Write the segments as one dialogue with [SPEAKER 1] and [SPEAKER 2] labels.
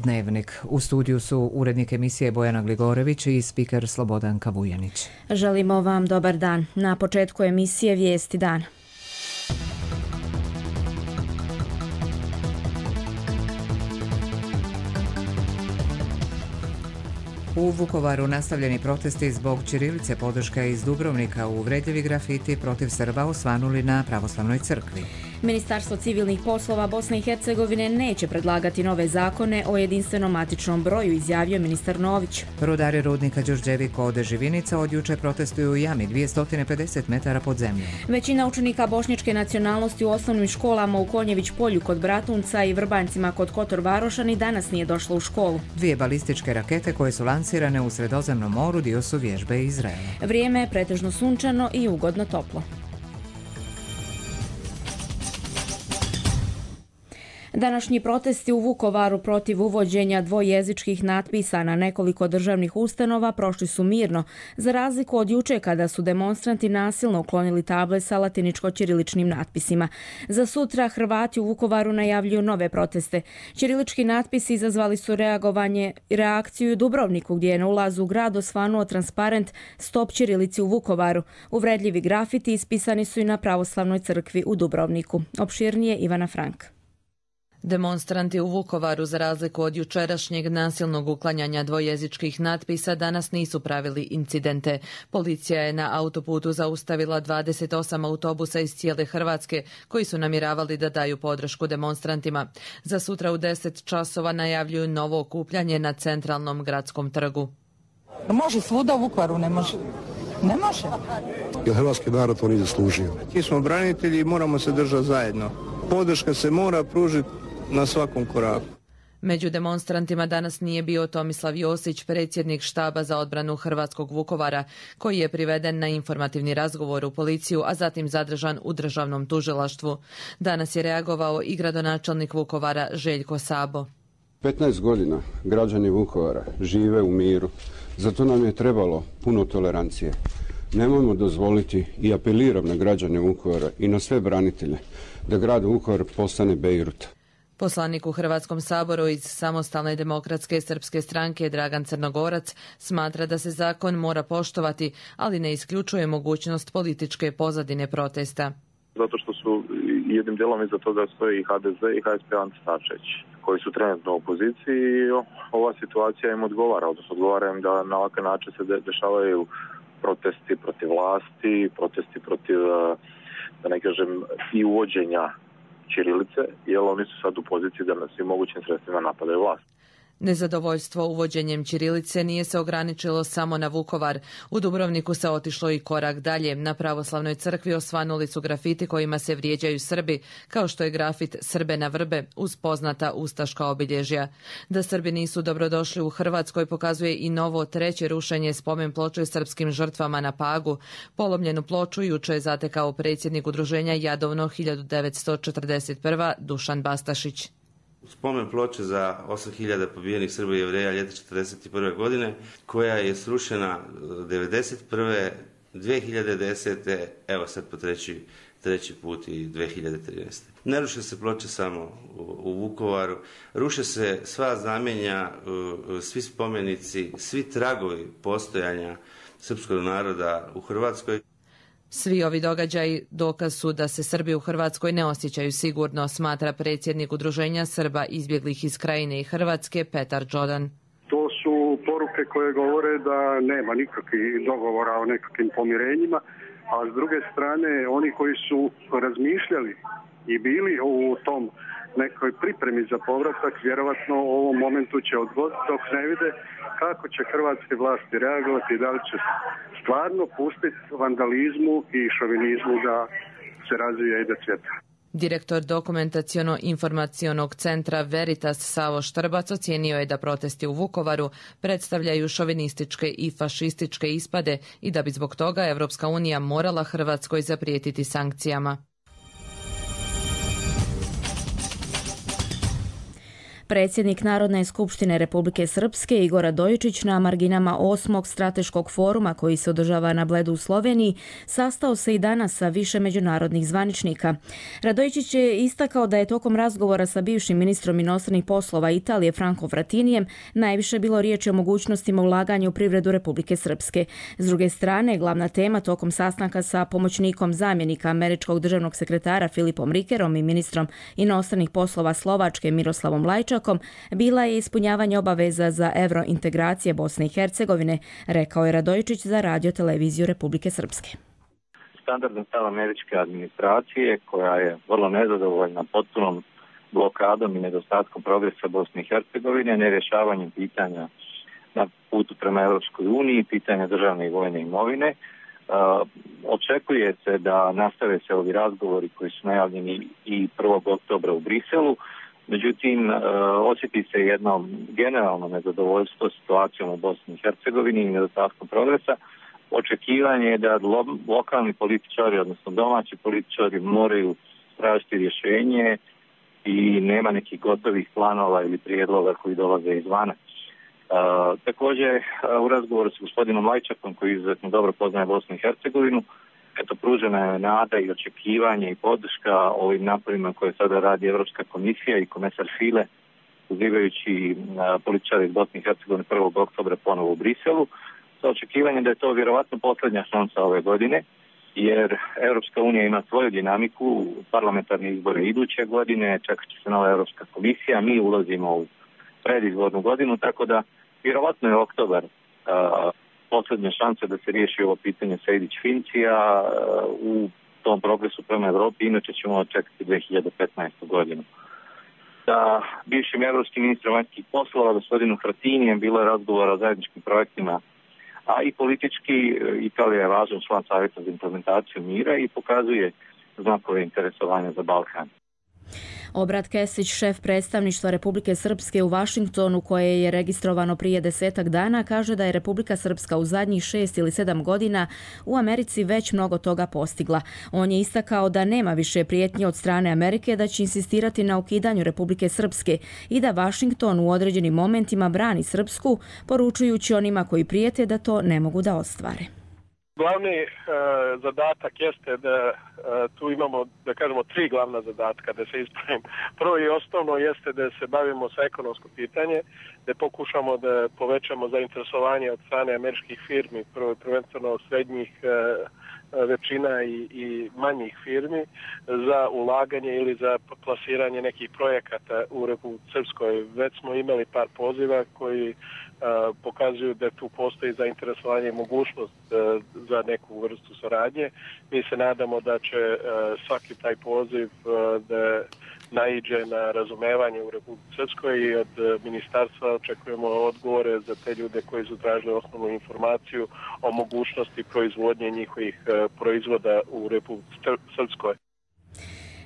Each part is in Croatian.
[SPEAKER 1] Dnevnik. U studiju su urednik emisije Bojana Gligorević i spiker Slobodanka Vujanić.
[SPEAKER 2] Želimo vam dobar dan. Na početku emisije Vijesti dana.
[SPEAKER 1] U Vukovaru nastavljeni protesti zbog ćirilice, podrška iz Dubrovnika, uvredljivi grafiti protiv Srba osvanuli na pravoslavnoj crkvi.
[SPEAKER 2] Ministarstvo civilnih poslova Bosne i Hercegovine neće predlagati nove zakone o jedinstvenom matičnom broju, izjavio ministar Nović.
[SPEAKER 1] Rudari rudnika Đurđevi kod Živinica od juče protestuju u jami 250 metara pod zemljom.
[SPEAKER 2] Većina učenika bošnjačke nacionalnosti u osnovnim školama u Konjević polju kod Bratunca i Vrbanjcima kod Kotor Varoša danas nije došla u školu.
[SPEAKER 1] 2 balističke rakete koje su lansirane u Sredozemnom moru dio su vježbe Izraela.
[SPEAKER 2] Vrijeme je pretežno sunčano i ugodno toplo. Današnji protesti u Vukovaru protiv uvođenja dvojezičkih natpisa na nekoliko državnih ustanova prošli su mirno, za razliku od juče kada su demonstranti nasilno uklonili table sa latiničko-ćiriličnim natpisima. Za sutra Hrvati u Vukovaru najavljuju nove proteste. Ćirilički natpisi izazvali su reakciju u Dubrovniku, gdje je na ulazu u grad osvanuo transparent Stop ćirilici u Vukovaru. Uvredljivi grafiti ispisani su i na pravoslavnoj crkvi u Dubrovniku. Opširnije Ivana Frank.
[SPEAKER 3] Demonstranti u Vukovaru, za razliku od jučerašnjeg nasilnog uklanjanja dvojezičkih natpisa, danas nisu pravili incidente. Policija je na autoputu zaustavila 28 autobusa iz cijele Hrvatske koji su namjeravali da daju podršku demonstrantima. Za sutra u 10 časova najavljuju novo okupljanje na centralnom gradskom trgu.
[SPEAKER 4] Može svuda, u Vukovaru ne može. Ne može.
[SPEAKER 5] Jer hrvatski narod to nije zaslužio.
[SPEAKER 6] Mi smo branitelji i moramo se držati zajedno. Podrška se mora pružiti na svakom koraku.
[SPEAKER 3] Među demonstrantima danas nije bio Tomislav Josić, predsjednik štaba za odbranu hrvatskog Vukovara, koji je priveden na informativni razgovor u policiju, a zatim zadržan u državnom tužilaštvu. Danas je reagovao i gradonačelnik Vukovara Željko Sabo.
[SPEAKER 7] 15 godina građani Vukovara žive u miru. Zato nam je trebalo puno tolerancije. Nemojmo dozvoliti i apeliram na građane Vukovara i na sve branitelje da grad Vukovar postane Bejrut.
[SPEAKER 3] Poslanik u Hrvatskom saboru iz Samostalne demokratske srpske stranke Dragan Crnogorac smatra da se zakon mora poštovati, ali ne isključuje mogućnost političke pozadine protesta.
[SPEAKER 8] Zato što su jednim dijelom iza toga stoji i HDZ i HSP Ante Starčević, koji su trenutno u opoziciji i ova situacija im odgovara, odnosno odgovara im da na ovakav način se dešavaju protesti protiv vlasti, protesti protiv, da ne kažem, i uvođenja ćirilice, jer oni su sad u poziciji da na svim mogućim sredstvima napadaju vlast.
[SPEAKER 3] Nezadovoljstvo uvođenjem ćirilice nije se ograničilo samo na Vukovar. U Dubrovniku se otišlo i korak dalje. Na pravoslavnoj crkvi osvanuli su grafiti kojima se vrijeđaju Srbi, kao što je grafit Srbe na vrbe uz poznata ustaška obilježja. Da Srbi nisu dobrodošli u Hrvatskoj pokazuje i novo treće rušenje spomen ploče srpskim žrtvama na Pagu. Polomljenu ploču juče je zatekao predsjednik udruženja Jadovno 1941. Dušan Bastašić.
[SPEAKER 9] Spomen ploče za 8000 pobijenih Srba i Jevreja ljeta 1941. godine, koja je srušena 1991. 2010. evo sad po treći put i 2013. Ne ruše se ploče samo u Vukovaru, ruše se sva znamenja, svi spomenici, svi tragovi postojanja srpskog naroda u Hrvatskoj.
[SPEAKER 3] Svi ovi događaji dokaz su da se Srbi u Hrvatskoj ne osjećaju sigurno, smatra predsjednik udruženja Srba izbjeglih iz Krajine i Hrvatske Petar Đodan.
[SPEAKER 10] To su poruke koje govore da nema nikakvih dogovora o nekakvim pomirenjima, a s druge strane oni koji su razmišljali i bili u tom nekoj pripremi za povratak, vjerovatno u ovom momentu će odgoditi dok ne vide kako će hrvatske vlasti reagovati i da li će stvarno pustiti vandalizmu i šovinizmu da se razvija i da cvjeta.
[SPEAKER 3] Direktor dokumentaciono-informacionog centra Veritas Savo Štrbac ocijenio je da protesti u Vukovaru predstavljaju šovinističke i fašističke ispade i da bi zbog toga Evropska unija morala Hrvatskoj zaprijetiti sankcijama.
[SPEAKER 2] Predsjednik Narodne skupštine Republike Srpske Igor Radojičić na marginama 8. strateškog foruma koji se održava na Bledu u Sloveniji sastao se i danas sa više međunarodnih zvaničnika. Radojičić je istakao da je tokom razgovora sa bivšim ministrom inostranih poslova Italije Franco Frattinijem najviše bilo riječi o mogućnostima ulaganja u privredu Republike Srpske. S druge strane, glavna tema tokom sastanka sa pomoćnikom zamjenika američkog državnog sekretara Filipom Rikerom i ministrom inostranih poslova Slovačke Miroslavom Lajčakom bila je ispunjavanje obaveza za evrointegracije Bosne i Hercegovine, rekao je Radojičić za Radio televiziju Republike Srpske.
[SPEAKER 11] Standardni stav američke administracije, koja je vrlo nezadovoljna potpunom blokadom i nedostatkom progresa Bosne i Hercegovine, nerješavanjem pitanja na putu prema Europskoj uniji, pitanja državne i vojne imovine. Očekuje se da nastave se ovi razgovori koji su najavljeni i 1. oktobra u Briselu. Međutim, osjeti se jedno generalno nezadovoljstvo situacijom u Bosni i Hercegovini i nedostatkom progresa. Očekivanje je da lokalni političari, odnosno domaći političari, moraju tražiti rješenje i nema nekih gotovih planova ili prijedloga koji dolaze izvana. Također, u razgovoru s gospodinom Lajčakom, koji izuzetno dobro poznaje Bosnu i Hercegovinu, pružena je nada i očekivanje i podrška ovim naporima koje sada radi Europska komisija i komesar File, pozivajući političare iz Bosne i Hercegovine 1. oktobra ponovo u Briselu, sa očekivanjem da je to vjerovatno posljednja šansa ove godine, jer Europska unija ima svoju dinamiku, parlamentarne izbore iduće godine, čekat će se nova Europska komisija, mi ulazimo u predizbornu godinu, tako da vjerovatno je oktobar posljednja šansa da se riješi ovo pitanje Sejdić-Fincija u tom progresu prema Evropi, inače ćemo čekati 2015. godinu. Sa bivšim evropskim ministrom vanjskih poslova, gospodinu Frattinijem, bilo je razgovora o zajedničkim projektima, a i politički Italija je važan član Savjeta za implementaciju mira i pokazuje znakove interesovanja za Balkan.
[SPEAKER 2] Obrat Kesić, šef predstavništva Republike Srpske u Vašingtonu, koje je registrovano prije 10 dana, kaže da je Republika Srpska u zadnjih 6 ili 7 godina u Americi već mnogo toga postigla. On je istakao da nema više prijetnji od strane Amerike da će insistirati na ukidanju Republike Srpske i da Vašington u određenim momentima brani Srpsku, poručujući onima koji prijete da to ne mogu da ostvare.
[SPEAKER 12] Glavni zadatak jeste da tu imamo, da kažemo, 3 glavna zadatka, da se ispravim. Prvo i osnovno jeste da se bavimo sa ekonomsko pitanje, da pokušamo da povećamo zainteresovanje od strane američkih firmi, prvenstveno srednjih većina i manjih firmi za ulaganje ili za plasiranje nekih projekata u Republici Srpskoj. Već smo imali par poziva koji pokazuju da tu postoji zainteresovanje i mogućnost za neku vrstu saradnje. Mi se nadamo da će svaki taj poziv da naiđe na razumevanje u Republici Srpskoj i od ministarstva očekujemo odgovore za te ljude koji su tražili osnovnu informaciju o mogućnosti proizvodnje njihovih proizvoda u Republici Srpskoj.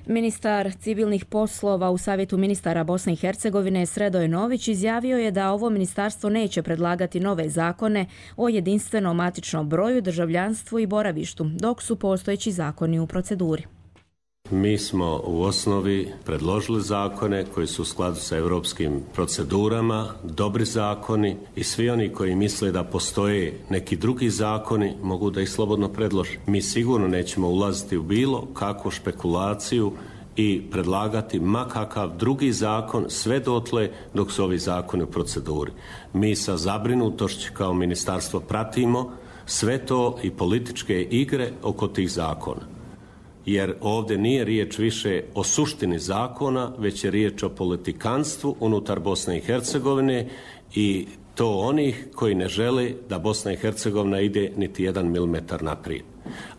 [SPEAKER 2] Ministar civilnih poslova u Savjetu ministara Bosne i Hercegovine Sredoj Nović izjavio je da ovo ministarstvo neće predlagati nove zakone o jedinstvenom matičnom broju, državljanstvu i boravištu, dok su postojeći zakoni u proceduri.
[SPEAKER 13] Mi smo u osnovi predložili zakone koji su u skladu sa europskim procedurama, dobri zakoni i svi oni koji misle da postoje neki drugi zakoni mogu da ih slobodno predlože. Mi sigurno nećemo ulaziti u bilo kakvu špekulaciju i predlagati makakav drugi zakon sve dotle dok su ovi zakoni u proceduri. Mi sa zabrinutošću kao ministarstvo pratimo sve to i političke igre oko tih zakona. Jer ovdje nije riječ više o suštini zakona, već je riječ o politikanstvu unutar Bosne i Hercegovine i to onih koji ne žele da Bosna i Hercegovina ide niti 1 milimetar naprijed.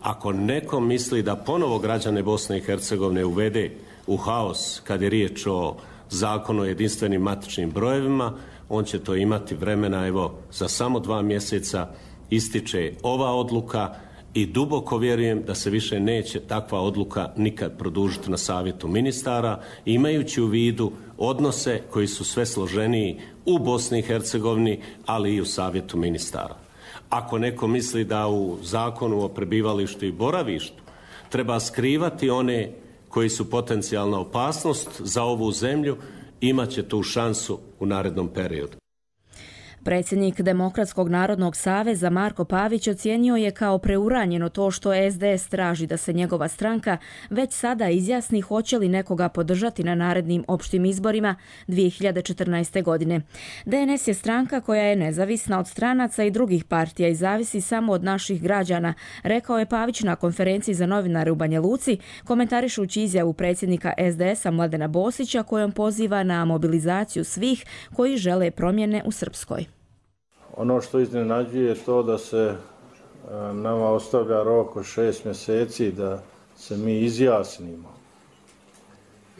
[SPEAKER 13] Ako neko misli da ponovo građane Bosne i Hercegovine uvede u haos kad je riječ o zakonu o jedinstvenim matičnim brojevima, on će to imati vremena, evo, za samo 2 mjeseca ističe ova odluka i duboko vjerujem da se više neće takva odluka nikad produžiti na Savjetu ministara, imajući u vidu odnose koji su sve složeniji u Bosni i Hercegovini, ali i u Savjetu ministara. Ako neko misli da u zakonu o prebivalištu i boravištu treba skrivati one koji su potencijalna opasnost za ovu zemlju imat će tu šansu u narednom periodu.
[SPEAKER 2] Predsjednik Demokratskog narodnog saveza Marko Pavić ocijenio je kao preuranjeno to što SDS traži da se njegova stranka već sada izjasni hoće li nekoga podržati na narednim opštim izborima 2014. godine. DNS je stranka koja je nezavisna od stranaca i drugih partija i zavisi samo od naših građana, rekao je Pavić na konferenciji za novinare u Banja Luci, komentarišući izjavu predsjednika SDS-a Mladena Bosića kojom poziva na mobilizaciju svih koji žele promjene u Srpskoj.
[SPEAKER 14] Ono što iznenađuje je to da se nama ostavlja rok od 6 mjeseci da se mi izjasnimo.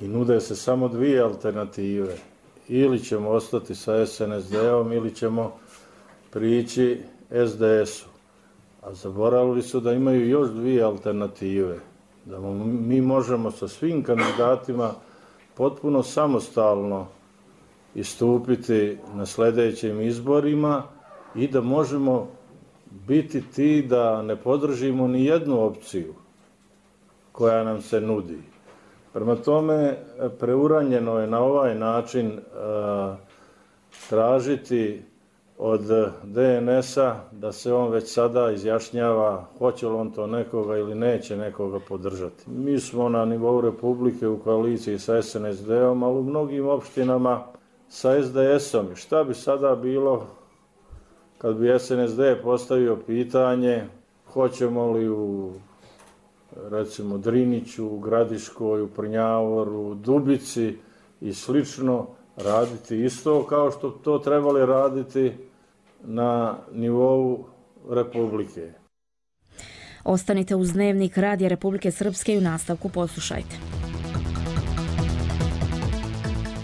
[SPEAKER 14] I nude se samo dvije alternative. Ili ćemo ostati sa SNSD-om ili ćemo prići SDS-u. A zaboravili su da imaju još dvije alternative. Da mi možemo sa svim kandidatima potpuno samostalno istupiti na sljedećim izborima i da možemo biti ti da ne podržimo ni jednu opciju koja nam se nudi. Prema tome, preuranjeno je na ovaj način tražiti od DNS-a da se on već sada izjašnjava hoće li on to nekoga ili neće nekoga podržati. Mi smo na nivou Republike u koaliciji sa SNSD-om, ali u mnogim opštinama sa SDS-om. Šta bi sada bilo kad bi SNSD postavio pitanje hoćemo li u recimo Driniću, u Gradiškoj, u Prnjavoru, Dubici i slično raditi isto kao što to trebali raditi na nivou Republike.
[SPEAKER 2] Ostanite uz Dnevnik Radija Republike Srpske i u nastavku poslušajte.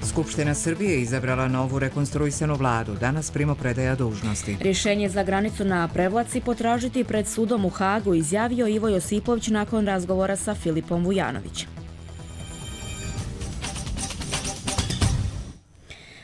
[SPEAKER 1] Skupština Srbije izabrala novu rekonstruisanu vladu. Danas primopredaja dužnosti.
[SPEAKER 2] Rješenje za granicu na Prevlaci potražiti pred sudom u Hagu, izjavio Ivo Josipović nakon razgovora sa Filipom Vujanovićem.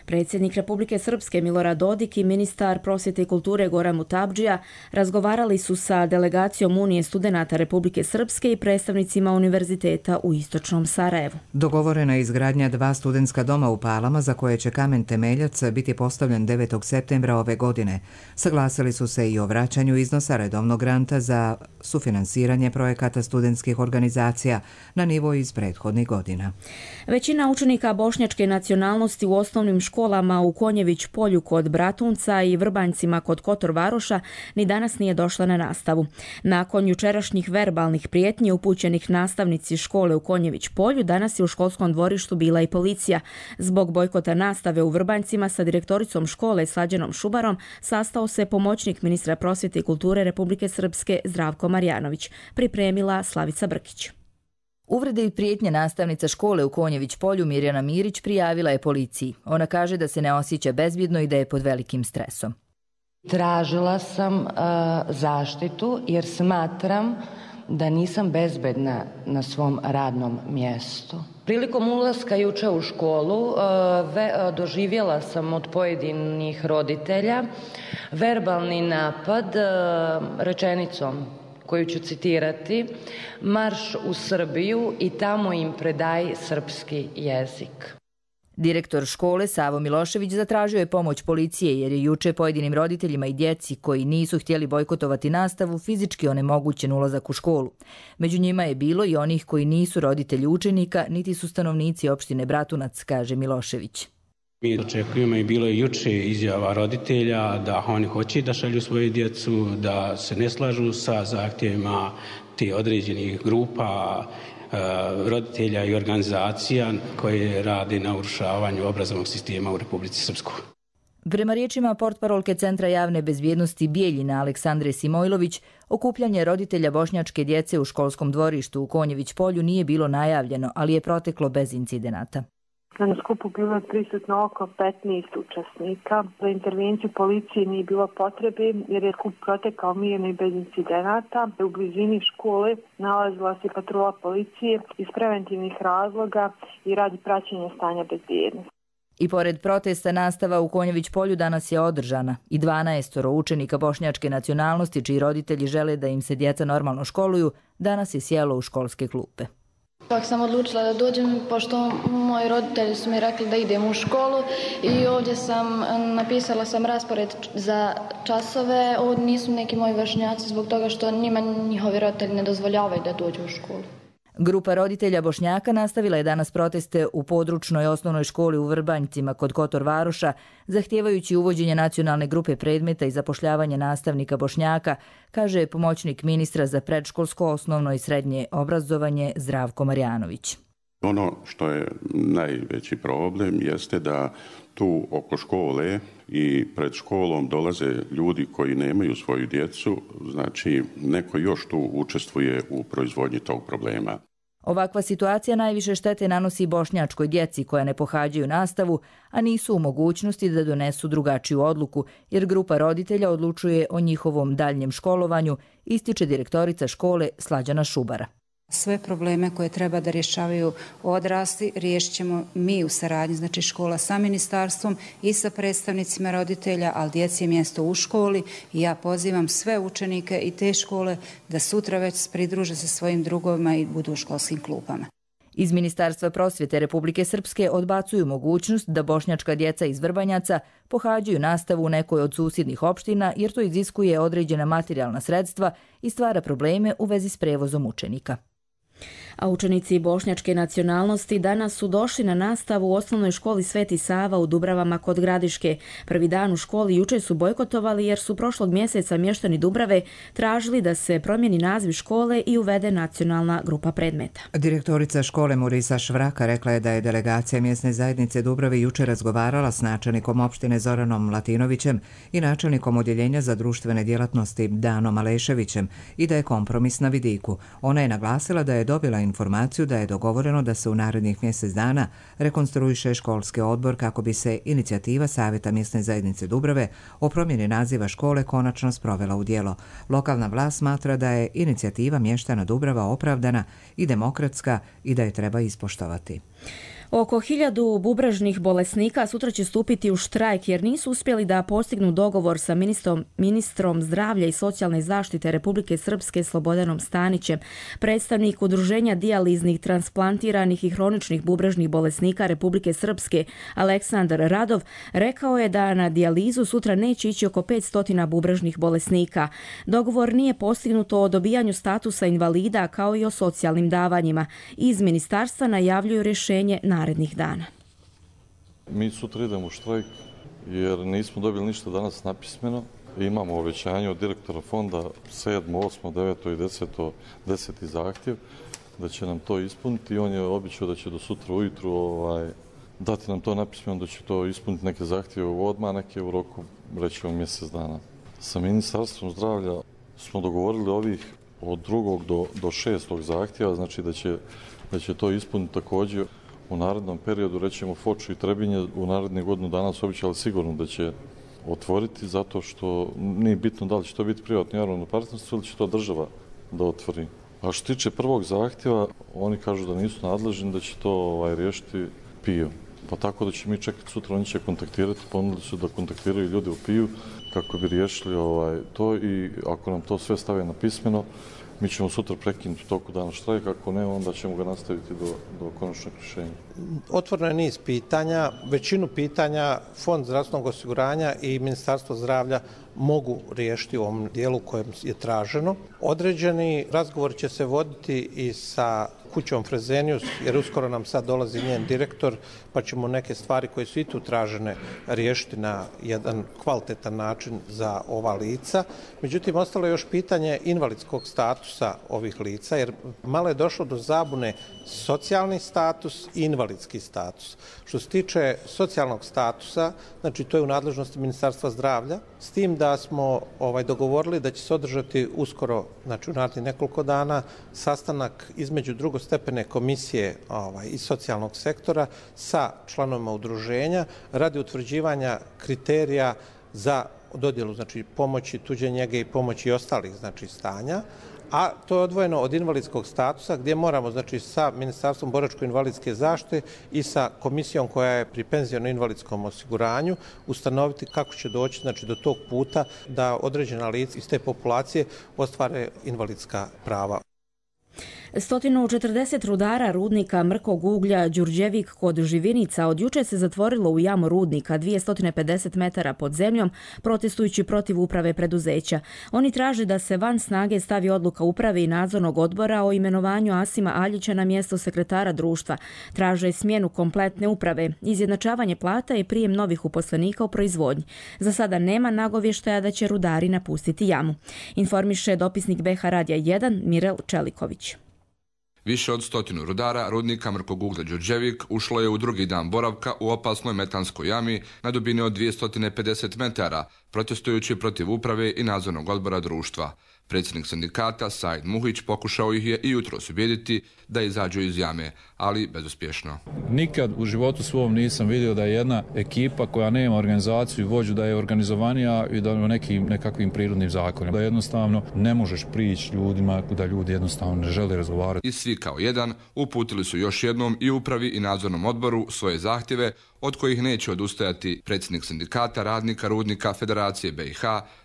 [SPEAKER 2] Predsjednik Republike Srpske Milorad Dodik i ministar prosvjete i kulture Goran Mutabdžija razgovarali su sa delegacijom Unije studenata Republike Srpske i predstavnicima univerziteta u Istočnom Sarajevu.
[SPEAKER 1] Dogovorena je izgradnja 2 studentska doma u Palama za koje će kamen temeljac biti postavljen 9. septembra ove godine. Saglasili su se i o vraćanju iznosa redovnog granta za sufinansiranje projekata studentskih organizacija na nivo iz prethodnih godina.
[SPEAKER 2] Većina učenika bošnjačke nacionalnosti u osnovnim školama u Konjević polju kod Bratunca i Vrbanjcima kod Kotor Varoša ni danas nije došla na nastavu. Nakon jučerašnjih verbalnih prijetnji upućenih nastavnici škole u Konjević polju, danas je u školskom dvorištu bila i policija. Zbog bojkota nastave u Vrbanjcima sa direktoricom škole Slađanom Šubarom sastao se pomoćnik ministra prosvjete i kulture Republike Srpske Zdravko Marjanović, pripremila Slavica Brkić.
[SPEAKER 15] Uvrede i prijetnje nastavnica škole u Konjević polju Mirjana Mirić prijavila je policiji. Ona kaže da se ne osjeća bezbjedno i da je pod velikim stresom.
[SPEAKER 16] Tražila sam zaštitu jer smatram da nisam bezbedna na svom radnom mjestu. Prilikom ulaska juče u školu doživjela sam od pojedinih roditelja verbalni napad rečenicom koju ću citirati: marš u Srbiju i tamo im predaj srpski jezik.
[SPEAKER 15] Direktor škole Savo Milošević zatražio je pomoć policije jer je juče pojedinim roditeljima i djeci koji nisu htjeli bojkotovati nastavu fizički onemogućen ulazak u školu. Među njima je bilo i onih koji nisu roditelji učenika niti su stanovnici opštine Bratunac, kaže Milošević.
[SPEAKER 17] Mi očekujemo i bilo je juče izjava roditelja da oni hoće da šalju svoje djecu, da se ne slažu sa zahtjevima te određenih grupa roditelja i organizacija koje rade na urušavanju obrazovnog sistema u Republici Srpskoj.
[SPEAKER 15] Prema riječima portparolke Centra javne bezbjednosti Bijeljina Aleksandre Simojlović, okupljanje roditelja bošnjačke djece u školskom dvorištu u Konjević polju nije bilo najavljeno, ali je proteklo bez incidenata.
[SPEAKER 18] Na skupu bilo je prisutno oko 15 učesnika. Za intervenciju policije nije bilo potrebe jer je skup protekao mirno i bez incidenata. U blizini škole nalazila se patrola policije iz preventivnih razloga i radi praćenja stanja bezbjednosti.
[SPEAKER 15] I pored protesta nastava u Konjević polju danas je održana i 12 učenika bošnjačke nacionalnosti čiji roditelji žele da im se djeca normalno školuju danas je sjelo u školske klupe.
[SPEAKER 19] Ipak sam odlučila da dođem, pošto moji roditelji su mi rekli da idem u školu i ovdje napisala sam raspored za časove. Ovdje nisu neki moji vršnjaci zbog toga što njima njihovi roditelji ne dozvoljavaju da dođu u školu.
[SPEAKER 15] Grupa roditelja Bošnjaka nastavila je danas proteste u područnoj osnovnoj školi u Vrbanjcima kod Kotor Varoša, zahtijevajući uvođenje nacionalne grupe predmeta i zapošljavanje nastavnika Bošnjaka, kaže pomoćnik ministra za predškolsko, osnovno i srednje obrazovanje Zdravko Marjanović.
[SPEAKER 20] Ono što je najveći problem jeste da tu oko škole i pred školom dolaze ljudi koji nemaju svoju djecu, znači neko još tu učestvuje u proizvodnji tog problema.
[SPEAKER 15] Ovakva situacija najviše štete nanosi bošnjačkoj djeci koja ne pohađaju nastavu, a nisu u mogućnosti da donesu drugačiju odluku, jer grupa roditelja odlučuje o njihovom daljnjem školovanju, ističe direktorica škole Slađana Šubara.
[SPEAKER 21] Sve probleme koje treba da rješavaju odrasli riješit ćemo mi u saradnji, znači škola sa ministarstvom i sa predstavnicima roditelja, ali djeci je mjesto u školi i ja pozivam sve učenike i te škole da sutra već pridruže se svojim drugovima i budu u školskim klupama.
[SPEAKER 15] Iz Ministarstva prosvjete Republike Srpske odbacuju mogućnost da bošnjačka djeca iz Vrbanjaca pohađaju nastavu u nekoj od susjednih opština jer to iziskuje određena materijalna sredstva i stvara probleme u vezi s prevozom učenika.
[SPEAKER 2] A učenici bošnjačke nacionalnosti danas su došli na nastavu u osnovnoj školi Sveti Sava u Dubravama kod Gradiške. Prvi dan u školi juče su bojkotovali jer su prošlog mjeseca mještani Dubrave tražili da se promijeni naziv škole i uvede nacionalna grupa predmeta.
[SPEAKER 1] Direktorica škole Murisa Švraka rekla je da je delegacija mjesne zajednice Dubrave juče razgovarala s načelnikom opštine Zoranom Latinovićem i načelnikom odjeljenja za društvene djelatnosti Danom Aleševićem i da je kompromis na vidiku. Ona je naglasila da je dobila informaciju da je dogovoreno da se u narednih mjesec dana rekonstruiše školski odbor kako bi se inicijativa Savjeta mjesne zajednice Dubrave o promjeni naziva škole konačno sprovela u djelo. Lokalna vlast smatra da je inicijativa mještana Dubrava opravdana i demokratska i da je treba ispoštovati.
[SPEAKER 2] Oko 1000 bubrežnih bolesnika sutra će stupiti u štrajk jer nisu uspjeli da postignu dogovor sa ministrom zdravlja i socijalne zaštite Republike Srpske Slobodanom Stanićem. Predstavnik Udruženja dijaliznih, transplantiranih i hroničnih bubrežnih bolesnika Republike Srpske Aleksandar Radov rekao je da na dijalizu sutra neće ići oko 500 bubrežnih bolesnika. Dogovor nije postignuto o dobijanju statusa invalida kao i o socijalnim davanjima. Iz ministarstva najavljuju rješenje narednih dana.
[SPEAKER 22] Mi sutra idemo u štrajk jer nismo dobili ništa danas napismeno. Imamo obećanje od direktora fonda 7., 8., 9. i 10. zahtjev da će nam to ispuniti i on je obećao da će do sutra ujutru dati nam to napismeno, da će to ispuniti neke zahtjeve odmah, neke u roku rećemo mjesec dana. Sa Ministarstvom zdravlja smo dogovorili ovih od 2. do 6. zahtjeva, znači da će to ispuniti također u narednom periodu, rećemo Foču i Trebinje, u narednih godinu dana su obećali sigurno da će otvoriti, zato što nije bitno da li će to biti privatno javno partnerstvo ili će to država da otvori. A što tiče prvog zahtjeva, oni kažu da nisu nadležni, da će to riješiti PIO. Pa tako da će mi čekati sutra, oni će kontaktirati, ponudili su da kontaktiraju ljudi u PIO kako bi riješili to i ako nam to sve stave na pismeno, mi ćemo sutra prekinuti u toku dana štrajk, ako ne, onda ćemo ga nastaviti do konačnog rješenja.
[SPEAKER 23] Otvoreno je niz pitanja, većinu pitanja Fond zdravstvenog osiguranja i Ministarstvo zdravlja mogu riješiti u ovom dijelu kojem je traženo. Određeni razgovor će se voditi i sa kućom Frezenius, jer uskoro nam sad dolazi njen direktor, pa ćemo neke stvari koje su i tu tražene riješiti na jedan kvalitetan način za ova lica. Međutim, ostalo je još pitanje invalidskog statusa ovih lica, jer malo je došlo do zabune socijalni status i invalidski status. Što se tiče socijalnog statusa, znači to je u nadležnosti Ministarstva zdravlja, s tim da smo dogovorili da će se održati uskoro, znači u narednih nekoliko dana, sastanak između drugostepene komisije iz socijalnog sektora sa članovima udruženja radi utvrđivanja kriterija za dodjelu, znači pomoći tuđe njege i pomoći ostalih, znači stanja, a to je odvojeno od invalidskog statusa gdje moramo, znači sa Ministarstvom boračko-invalidske zaštite i sa komisijom koja je pri penziono-invalidskom osiguranju ustanoviti kako će doći, znači do tog puta da određena lica iz te populacije ostvare invalidska prava.
[SPEAKER 2] 140 rudara rudnika mrkog uglja Đurđevik kod Živinica od juče se zatvorilo u jamu rudnika 250 metara pod zemljom, protestujući protiv uprave preduzeća. Oni traže da se van snage stavi odluka uprave i nadzornog odbora o imenovanju Asima Aljića na mjesto sekretara društva. Traže smjenu kompletne uprave, izjednačavanje plata i prijem novih uposlenika u proizvodnji. Za sada nema nagovještaja da će rudari napustiti jamu. Informiše dopisnik BH Radija 1 Mirel Čeliković.
[SPEAKER 4] Više od 100 rudara rudnika mrkog uglja Đurđevik ušlo je u drugi dan boravka u opasnoj metanskoj jami na dubini od 250 metara, protestujući protiv uprave i nadzornog odbora društva. Predsjednik sindikata Said Muhić pokušao ih je i jutros ubijediti da izađu iz jame, ali bezuspješno.
[SPEAKER 5] Nikad u životu svom nisam vidio da je jedna ekipa koja nema organizaciju i vođu da je organizovanija i da nekakvim prirodnim zakonima. Da jednostavno ne možeš prići ljudima, da ljudi jednostavno ne žele razgovarati.
[SPEAKER 4] I svi kao jedan uputili su još jednom i upravi i nadzornom odboru svoje zahtjeve, od kojih neće odustajati predsjednik sindikata radnika rudnika Federacije BiH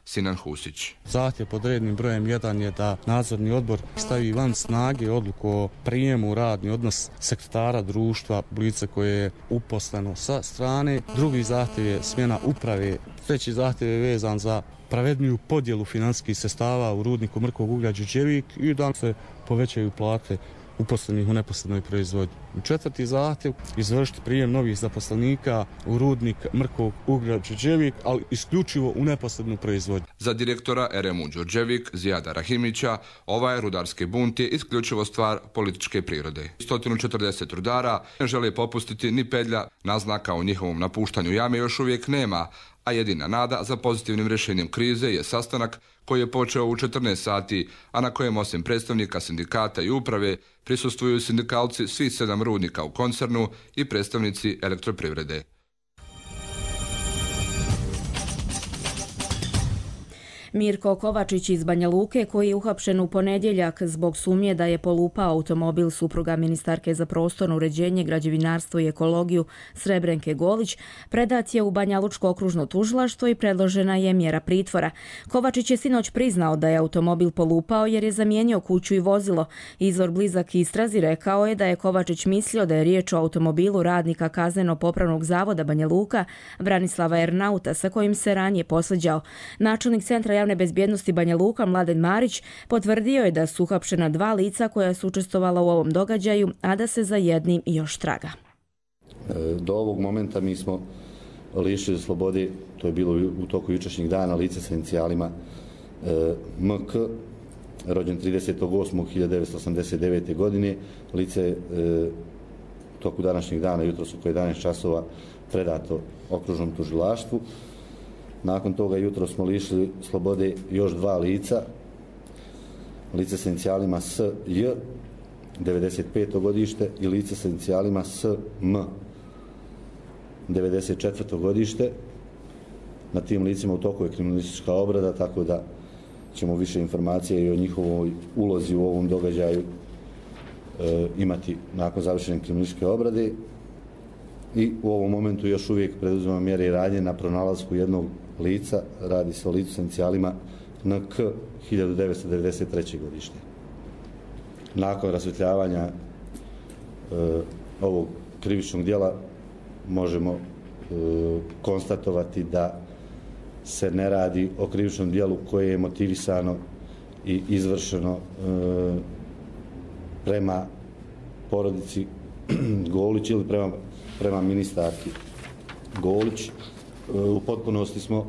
[SPEAKER 4] Sinan Husić.
[SPEAKER 6] Zahtjev pod rednim brojem 1 je da nadzorni odbor stavi van snage odluku o prijemu u radni odnos sekretara društva lice koje je uposleno sa strane. Drugi zahtjev je smjena uprave. Treći zahtjev je vezan za pravedniju podjelu financijskih sredstava u rudniku mrkog uglja Đurđevik i da se povećaju plate uposlenih u neposrednoj proizvodnji. Četvrti zahtjev, izvršiti prijem novih zaposlenika u rudnik mrkog uglja Đurđevik, ali isključivo u neposrednu proizvodnju.
[SPEAKER 4] Za direktora RMU Đurđevik Zijada Rahimića, ovaj rudarski bunt je isključivo stvar političke prirode. 140 rudara ne žele popustiti ni pedlja, naznaka o njihovom napuštanju jame još uvijek nema, a jedina nada za pozitivnim rješenjem krize je sastanak koji je počeo u 14 sati, a na kojem osim predstavnika sindikata i uprave prisustvuju sindikalci svih 7 rudnika u koncernu i predstavnici elektroprivrede.
[SPEAKER 2] Mirko Kovačić iz Banja Luke, koji je uhapšen u ponedjeljak zbog sumnje da je polupao automobil supruga ministarke za prostorno uređenje, građevinarstvo i ekologiju Srebrenke Golić, predat je u Banjalučko okružno tužilaštvo i predložena je mjera pritvora. Kovačić je sinoć priznao da je automobil polupao jer je zamijenio kuću i vozilo. Izvor blizak istrazi rekao je da je Kovačić mislio da je riječ o automobilu radnika Kazneno-popravnog zavoda Banja Luka Branislava Ernauta, sa kojim se ranije posvađao. Načelnik Centra javne bezbjednosti Banja Luka Mladen Marić potvrdio je da su uhapšena 2 lica koja su učestvovala u ovom događaju, a da se za jednim još traga.
[SPEAKER 24] Do ovog momenta mi smo lišili slobode, to je bilo u toku jučerašnjeg dana, lice sa inicijalima MK, rođen 30.8.1989. godine, lice u toku današnjeg dana, jutros oko 11 časova, predato okružnom tužilaštvu. Nakon toga jutro smo lišili slobode još 2 lica, lice sa inicijalima SJ, 95. godište, i lice sa inicijalima SM, 94. godište. Na tim licima u toku je kriminalistička obrada, tako da ćemo više informacije i o njihovoj ulozi u ovom događaju imati nakon završene kriminalističke obrade. I u ovom momentu još uvijek preduzimamo mjere i radnje na pronalasku jednog lica, radi se o licu sa inicijalima NK, 1993. godište. Nakon rasvjetljavanja ovog krivičnog djela možemo konstatovati da se ne radi o krivičnom djelu koje je motivisano i izvršeno prema porodici Golić ili prema ministarki Golić. U potpunosti smo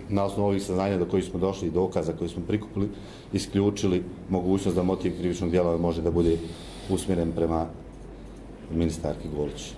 [SPEAKER 24] na osnovu ovih saznanja do kojih smo došli i dokaza koje smo prikupili isključili mogućnost da motiv krivičnog djela može da bude usmjeren prema ministarki Golić.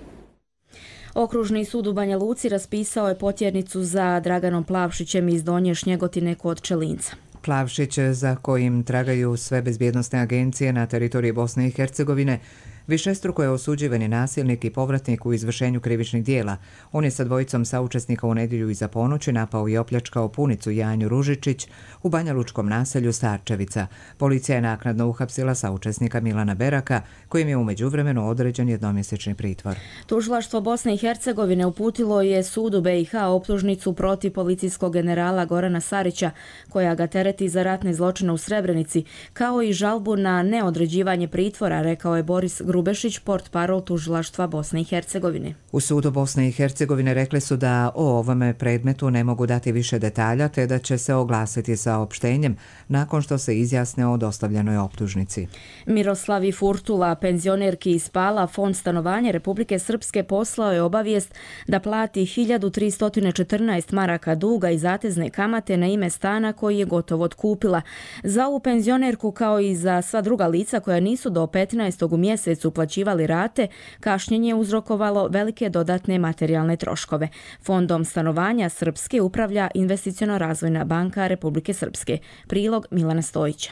[SPEAKER 2] Okružni sud u Banja Luci raspisao je potjernicu za Draganom Plavšićem iz Donje Šnjegotine kod Čelinca.
[SPEAKER 1] Plavšić, za kojim tragaju sve bezbjednosne agencije na teritoriji Bosne i Hercegovine, Višestruko je osuđivani nasilnik i povratnik u izvršenju krivičnih dijela. On je sa dvojicom saučesnika u nedjelju iza ponoći napao i opljačkao punicu Janju Ružičić u banjalučkom naselju Starčevica. Policija je naknadno uhapsila saučesnika Milana Beraka, kojim je u međuvremenu određen jednomjesečni pritvor.
[SPEAKER 2] Tužilaštvo Bosne i Hercegovine uputilo je sudu BiH optužnicu protiv policijskog generala Gorana Sarića, koja ga tereti za ratne zločine u Srebrenici, kao i žalbu na neodređivanje pritvora, rekao je Boris Grubešić, portparol tužilaštva Bosne i Hercegovine.
[SPEAKER 1] U sudu Bosne i Hercegovine rekli su da o ovome predmetu ne mogu dati više detalja, te da će se oglasiti saopštenjem nakon što se izjasne o dostavljenoj optužnici.
[SPEAKER 2] Miroslavi Furtula, penzionerki iz Pala, Fond stanovanja Republike Srpske poslao je obavijest da plati 1314 maraka duga i zatezne kamate na ime stana koji je gotovo otkupila. Za ovu penzionerku, kao i za sva druga lica koja nisu do 15. u mjesecu uplaćivali rate, kašnjenje je uzrokovalo velike dodatne materijalne troškove. Fondom stanovanja Srpske upravlja Investiciono-razvojna banka Republike Srpske. Prilog Milana Stojića.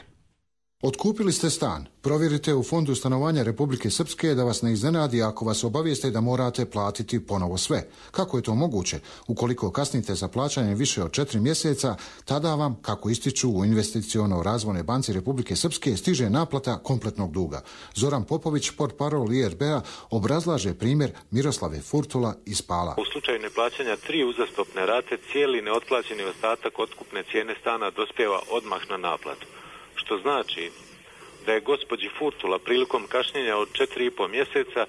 [SPEAKER 7] Otkupili ste stan. Provjerite u Fondu stanovanja Republike Srpske da vas ne iznenadi ako vas obavijeste da morate platiti ponovo sve. Kako je to moguće? Ukoliko kasnite sa plaćanjem više od 4 mjeseca, tada vam, kako ističu u Investiciono-razvojnoj banci Republike Srpske, stiže naplata kompletnog duga. Zoran Popović, portparol IRB-a, obrazlaže primjer Miroslave Furtula iz Pala.
[SPEAKER 8] U slučaju neplaćanja 3 uzastopne rate, cijeli neotplaćeni ostatak otkupne cijene stana dospijeva odmah na naplatu. Što znači da je gospođi Furtula prilikom kašnjenja od 4,5 mjeseca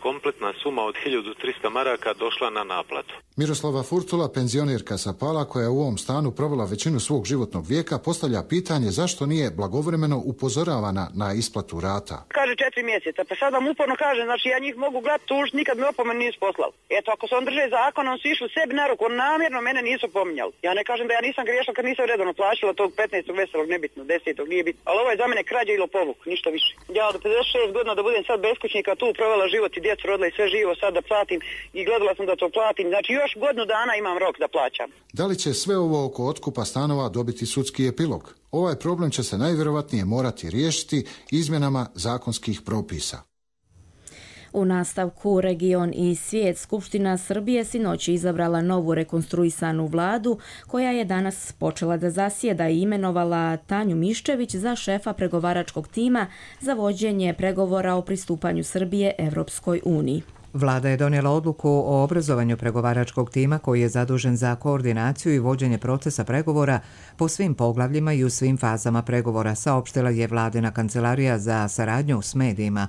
[SPEAKER 8] kompletna suma od 1300 maraka došla na naplatu.
[SPEAKER 7] Miroslava Furtula, penzionerka sa Pala, koja je u ovom stanu provela većinu svog životnog vijeka, postavlja pitanje zašto nije blagovremeno upozoravana na isplatu rata.
[SPEAKER 9] Kaže 4 mjeseca, pa sad vam uporno kažem, znači ja njih mogu gledati tužiti, nikad mi opomen nisu poslali. Eto, ako se on drže zakona, on su išli sebi na ruku, on namjerno mene nisu pominjali. Ja ne kažem da ja nisam griješila kad nisam redovno plaćala tog 15. veselog, nebitno, 10. nije bitno. Ali ovo je za mene krađa ili lopovluk, ništa više. Ja od 56 godina da budem sad beskućnika, tu provela život i djecu rodila i sve živo, sad da platim i gledala sam da to platim. Znači još godinu dana imam rok da plaćam.
[SPEAKER 7] Da li će sve ovo oko otkupa stanova dobiti sudski epilog? Ovaj problem će se najvjerovatnije morati riješiti izmjenama zakonskih propisa.
[SPEAKER 2] U nastavku Region i svijet, Skupština Srbije sinoć izabrala novu rekonstruisanu vladu koja je danas počela da zasjeda i imenovala Tanju Miščević za šefa pregovaračkog tima za vođenje pregovora o pristupanju Srbije Evropskoj uniji.
[SPEAKER 1] Vlada je donijela odluku o obrazovanju pregovaračkog tima koji je zadužen za koordinaciju i vođenje procesa pregovora po svim poglavljima i u svim fazama pregovora, saopštila je Vladina kancelarija za saradnju s medijima.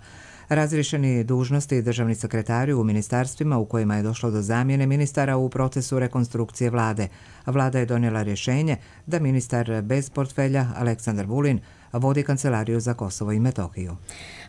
[SPEAKER 1] Razriješeni dužnosti državni sekretari u ministarstvima u kojima je došlo do zamjene ministara u procesu rekonstrukcije vlade. Vlada je donijela rješenje da ministar bez portfelja Aleksandar Vulin vodi Kancelariju za Kosovo i Metohiju.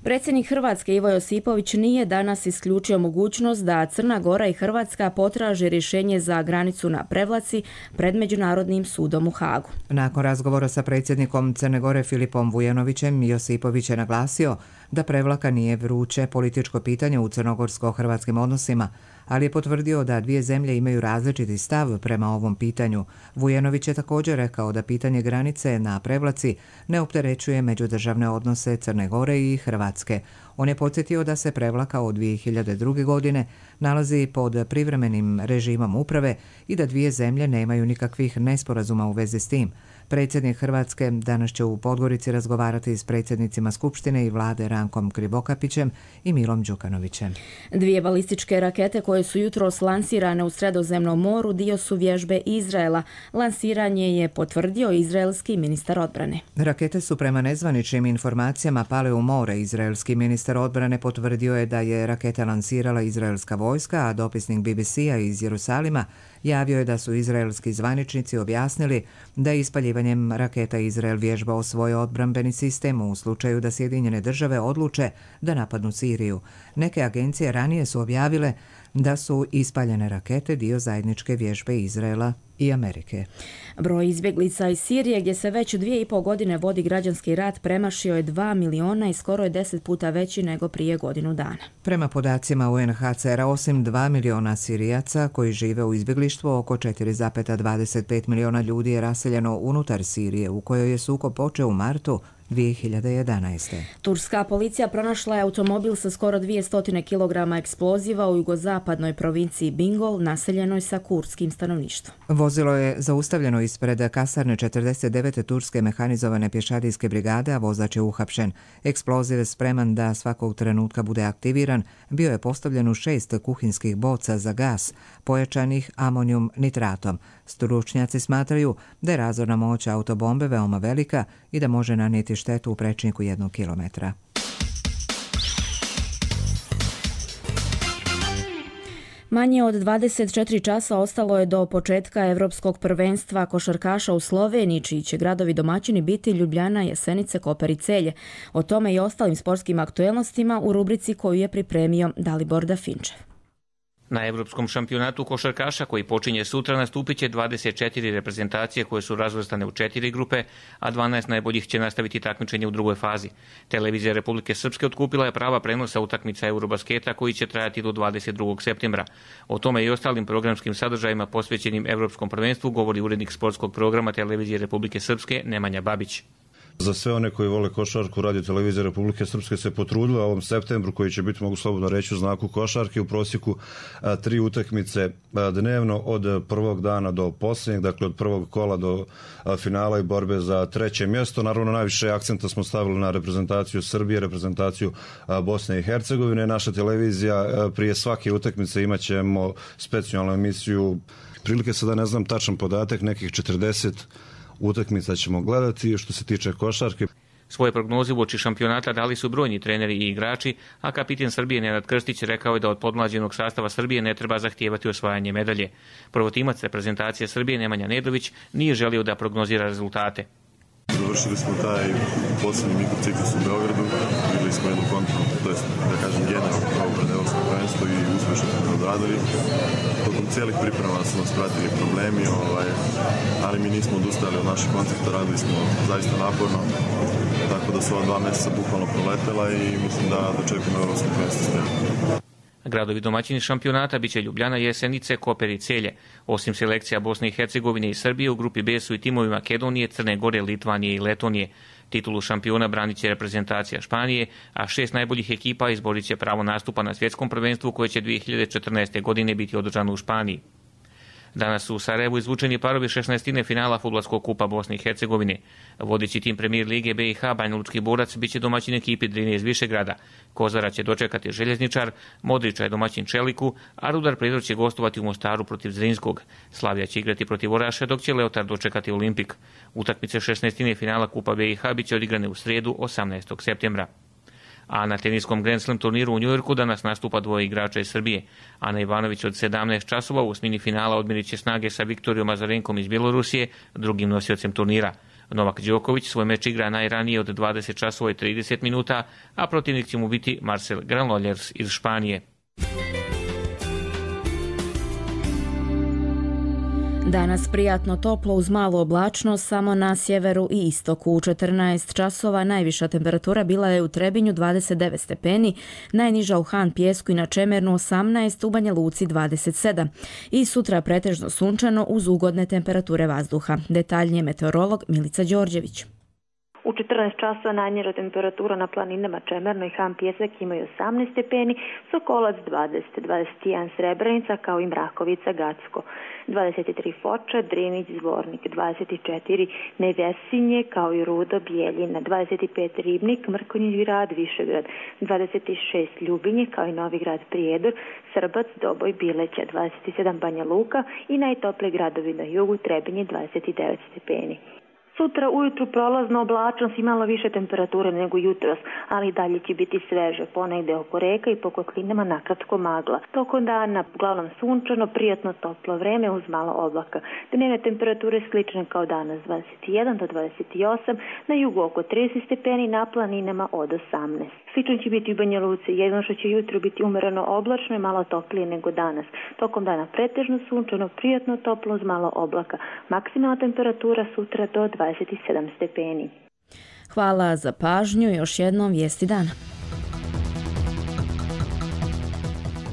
[SPEAKER 2] Predsjednik Hrvatske Ivo Josipović nije danas isključio mogućnost da Crna Gora i Hrvatska potraže rješenje za granicu na Prevlaci pred Međunarodnim sudom u Hagu.
[SPEAKER 1] Nakon razgovora sa predsjednikom Crne Gore Filipom Vujanovićem, Josipović je naglasio da Prevlaka nije vruće političko pitanje u crnogorsko-hrvatskim odnosima, ali je potvrdio da dvije zemlje imaju različiti stav prema ovom pitanju. Vujanović je također rekao da pitanje granice na Prevlaci ne opterećuje međudržavne odnose Crne Gore i Hrvatske. On je podsjetio da se Prevlaka od 2002. godine nalazi pod privremenim režimom uprave i da dvije zemlje nemaju nikakvih nesporazuma u vezi s tim. Predsjednik Hrvatske danas će u Podgorici razgovarati s predsjednicima Skupštine i vlade Rankom Krivokapićem i Milom Đukanovićem.
[SPEAKER 2] Dvije balističke rakete koje su jutros lansirane u Sredozemnom moru dio su vježbe Izraela. Lansiranje je potvrdio izraelski ministar odbrane.
[SPEAKER 1] Rakete su prema nezvaničnim informacijama pale u more. Izraelski ministar odbrane potvrdio je da je rakete lansirala izraelska vojska, a dopisnik BBC-a iz Jerusalima javio je da su izraelski zvaničnici objasnili da je ispaljivanjem raketa Izrael vježbao svoj odbrambeni sistem u slučaju da Sjedinjene države odluče da napadnu Siriju. Neke agencije ranije su objavile da su ispaljene rakete dio zajedničke vježbe Izraela i Amerike.
[SPEAKER 2] Broj izbjeglica iz Sirije, gdje se već 2,5 godine vodi građanski rat, premašio je 2 miliona i skoro je 10 puta veći nego prije godinu dana.
[SPEAKER 1] Prema podacima UNHCR-a, osim 2 miliona Sirijaca koji žive u izbjeglištvu, oko 4,25 miliona ljudi je raseljeno unutar Sirije, u kojoj je sukob počeo u martu 2011.
[SPEAKER 2] Turska policija pronašla je automobil sa skoro 200 kg eksploziva u jugozapadnoj provinciji Bingol, naseljenoj sa kurdskim stanovništvom.
[SPEAKER 1] Vozilo je zaustavljeno ispred kasarne 49. turske mehanizovane pješadijske brigade, a vozač je uhapšen. Eksploziv je spreman da svakog trenutka bude aktiviran, bio je postavljen u 6 kuhinskih boca za gas, pojačanih amonijum nitratom. Stručnjaci smatraju da je razorna moć autobombe veoma velika i da može nanijeti štetu u prečniku 1 kilometra.
[SPEAKER 2] Manje od 24 časa ostalo je do početka Evropskog prvenstva košarkaša u Sloveniji, čiji će gradovi domaćini biti Ljubljana, Jesenice, Koper i Celje. O tome i ostalim sportskim aktuelnostima u rubrici koju je pripremio Dalibor Dafinčev.
[SPEAKER 3] Na Evropskom šampionatu košarkaša koji počinje sutra nastupit će 24 reprezentacije koje su razvrstane u 4 grupe, a 12 najboljih će nastaviti takmičenje u drugoj fazi. Televizija Republike Srpske otkupila je prava prenosa utakmica Eurobasketa koji će trajati do 22. septembra. O tome i ostalim programskim sadržajima posvećenim Evropskom prvenstvu govori urednik sportskog programa Televizije Republike Srpske Nemanja Babić.
[SPEAKER 10] Za sve one koji vole košarku, Radio televizija Republike Srpske se potrudila u ovom septembru, koji će biti, mogu slobodno reći, u znaku košarke, u prosjeku 3 utakmice dnevno od prvog dana do posljednjeg, dakle od prvog kola do finala i borbe za 3. mjesto. Naravno, najviše akcenta smo stavili na reprezentaciju Srbije, reprezentaciju Bosne i Hercegovine. Naša televizija prije svake utakmice imat ćemo specijalnu emisiju, prilike sada ne znam tačan podatak, nekih 40 utakmica ćemo gledati. Što se tiče košarke,
[SPEAKER 3] svoje prognoze uoči šampionata dali su brojni treneri i igrači, a kapiten Srbije Nenad Krstić rekao je da od podmlađenog sastava Srbije ne treba zahtijevati osvajanje medalje. Prvotimac reprezentacije Srbije Nemanja Nedović nije želio da prognozira rezultate.
[SPEAKER 11] Završili smo taj posljednji mikrociklus u Beogradu, vidjeli smo jednu kontrolu, to je, da kažem, generalno pravo pred evropsko prvenstvo i uspješno smo odradili. Tokom cijelih priprema su nas pratili problemi, ali mi nismo odustali od našeg koncepta, radili smo zaista naporno, tako da su ova 2 mjeseca bukvalno proletela i mislim da čekamo evropsko prvenstvo spremno.
[SPEAKER 3] Gradovi domaćini šampionata biće Ljubljana, Jesenice, Koper i Celje. Osim selekcija Bosne i Hercegovine i Srbije, u grupi B su i timovi Makedonije, Crne Gore, Litvanije i Letonije. Titulu šampiona branit će reprezentacija Španije, a 6 najboljih ekipa izborit će pravo nastupa na svjetskom prvenstvu koje će 2014. godine biti održano u Španiji. Danas su u Sarajevu izvučeni parovi 16. finala Fudbalskog kupa Bosne i Hercegovine. Vodeći tim premijer Lige BiH Banjalučki borac biće domaćin ekipi Drine iz Višegrada. Kozara će dočekati Željezničar, Modrića je domaćin Čeliku, a Rudar Prizor će gostovati u Mostaru protiv Zrinskog. Slavija će igrati protiv Oraše, dok će Leotar dočekati Olimpik. Utakmice 16. finala Kupa BiH biće odigrane u srijedu 18. septembra. A na teniskom Grand Slam turniru u Njujorku danas nastupa 2 igrača iz Srbije. Ana Ivanović od 17 časova u osmini finala odmirit će snage sa Viktorijom Azarenkom iz Bjelorusije, drugim nosiocem turnira. Novak Đoković svoj meč igra najranije od 20 časova i 30 minuta, a protivnik će mu biti Marcel Granollers iz Španije.
[SPEAKER 2] Danas prijatno toplo uz malu oblačnost samo na sjeveru i istoku. U 14 časova najviša temperatura bila je u Trebinju 29 stepeni, najniža u Han Pjesku i na Čemernu 18, u Banja Luci 27. I sutra pretežno sunčano uz ugodne temperature vazduha. Detaljnije meteorolog Milica Đorđević.
[SPEAKER 12] U 14 časova najniža temperatura na planinama Čemerno i Han Pjesak imaju 18 stepeni, Sokolac 20, 21 Srebrenica kao i Mrakovica Gacko, 23 Foča, Drinić, Zvornik, 24 Nevesinje kao i Rudo, Bijeljina, 25 Ribnik, Mrkonjić grad, Višegrad, 26 Ljubinje kao i Novi grad Prijedor, Srbac, Doboj, Bileća, 27 Banja Luka i najtopliji gradovi na jugu Trebinje 29 stepeni. Sutra ujutru prolazno oblačnost i malo više temperature nego jutros, ali dalje će biti sveže, ponegde oko reka i po kotlinama nakratko magla. Tokom dana uglavnom sunčano, prijatno toplo vreme uz malo oblaka. Dnevne temperature slične kao danas 21 do 28, na jugu oko 30 stepeni, na planinama od 18. Slično će biti u Banja Luci, jedino što će jutro biti umereno oblačno i malo toplije nego danas. Tokom dana pretežno sunčano, prijatno toplo uz malo oblaka. Maksimalna temperatura sutra do 27 stepeni.
[SPEAKER 2] Hvala za pažnju, još jednom vijesti dana.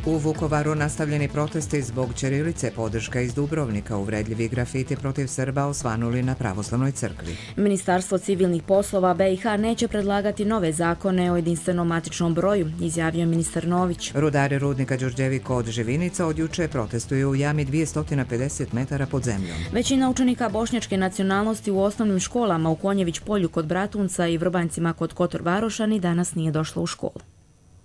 [SPEAKER 1] U Vukovaru nastavljeni protesti zbog ćirilice, podrška iz Dubrovnika, uvredljivi grafiti protiv Srba osvanuli na pravoslavnoj crkvi.
[SPEAKER 2] Ministarstvo civilnih poslova BiH neće predlagati nove zakone o jedinstvenom matičnom broju, izjavio ministar Nović.
[SPEAKER 1] Rudari rudnika Đurđevik od Živinica od juče protestuju u jami 250 metara pod zemljom.
[SPEAKER 2] Većina učenika bošnjačke nacionalnosti u osnovnim školama u Konjević polju kod Bratunca i Vrbancima kod Kotor Varoša ni danas nije došla u školu.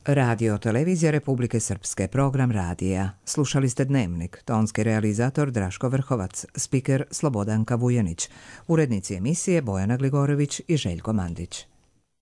[SPEAKER 1] Radio Televizija Republike Srpske, program radija. Slušali ste Dnevnik, tonski realizator Draško Vrhovac, spiker Slobodanka Vujanić, urednici emisije Bojana Gligorović i Željko Mandić.